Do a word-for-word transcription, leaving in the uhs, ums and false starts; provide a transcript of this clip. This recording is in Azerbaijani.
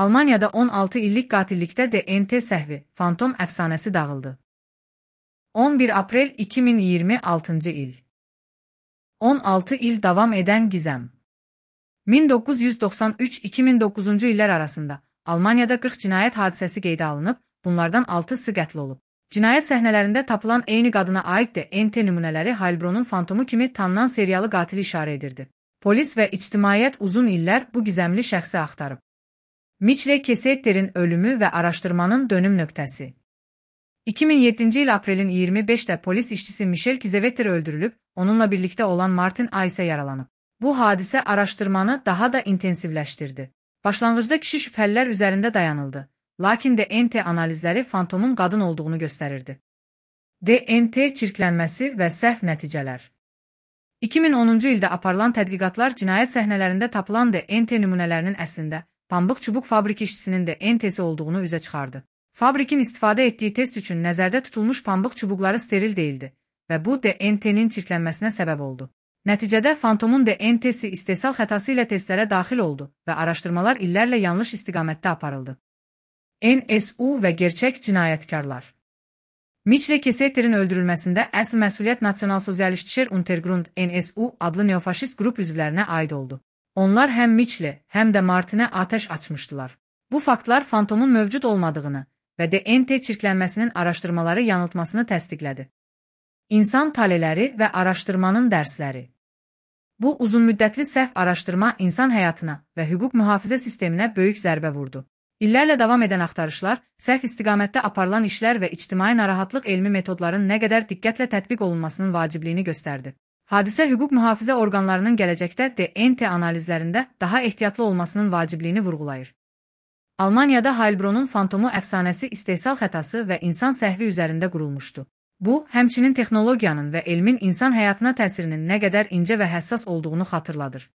Almaniyada on altı illik qatillikdə D N T səhvi, fantom əfsanəsi dağıldı. on bir aprel iki min iyirmi altıncı il. on altı il davam edən gizəm. min doqquz yüz doxsan üç iki min doqquzuncu illər arasında Almaniyada qırx cinayət hadisəsi qeydə alınıb, bunlardan altısı qətl olub. Cinayət səhnələrində tapılan eyni qadına aid də N T nümunələri Heilbronnun fantomu kimi tanınan seriyalı qatili işarə edirdi. Polis və ictimaiyyət uzun illər bu gizəmli şəxsi axtarıb. Mitchell Kesetter'in ölümü və araşdırmanın dönüm nöqtəsi. iki min yeddinci il aprelin iyirmi beşində polis işçisi Michel Kiesewetter öldürülüb, onunla birlikdə olan Martin A isə yaralanıb. Bu hadisə araşdırmanı daha da intensivləşdirdi. Başlanğıcda kişi şübhəlilər üzərində dayanıldı, lakin D N T analizləri fantomun qadın olduğunu göstərirdi. D N T çirklənməsi və səhv nəticələr. iki min onuncu ildə aparılan tədqiqatlar cinayət səhnələrində tapılan D N T nümunələrinin əslində pambıq çubuq fabrik işçisinin D N T'si olduğunu üzə çıxardı. Fabrikin istifadə etdiyi test üçün nəzərdə tutulmuş pambıq çubuqları steril deyildi və bu D N T'nin çirklənməsinə səbəb oldu. Nəticədə fantomun D N T'si istehsal xətası ilə testlərə daxil oldu və araşdırmalar illərlə yanlış istiqamətdə aparıldı. N S U və gerçək cinayətkarlar. Mitchell Kesetter'in öldürülməsində əsl məsuliyyət Nasionalsozialistçer Untergrund N S U adlı neofaşist qrup üzvlərinə aid oldu. Onlar həm Mitchell, həm də Martinə atəş açmışdılar. Bu faktlar fantomun mövcud olmadığını və D N T çirklənməsinin araşdırmaları yanıltmasını təsdiqlədi. İnsan taleləri və araşdırmanın dərsləri. Bu uzunmüddətli səhv araşdırma insan həyatına və hüquq mühafizə sisteminə böyük zərbə vurdu. İllərlə davam edən axtarışlar, səhv istiqamətdə aparılan işlər və ictimai narahatlıq elmi metodların nə qədər diqqətlə tətbiq olunmasının vacibliyini göstərdi. Hadisə hüquq mühafizə orqanlarının gələcəkdə D N T analizlərində daha ehtiyatlı olmasının vacibliyini vurğulayır. Almaniyada Heilbronnun fantomu əfsanəsi istehsal xətası və insan səhvi üzərində qurulmuşdu. Bu, həmçinin texnologiyanın və elmin insan həyatına təsirinin nə qədər incə və həssas olduğunu xatırladır.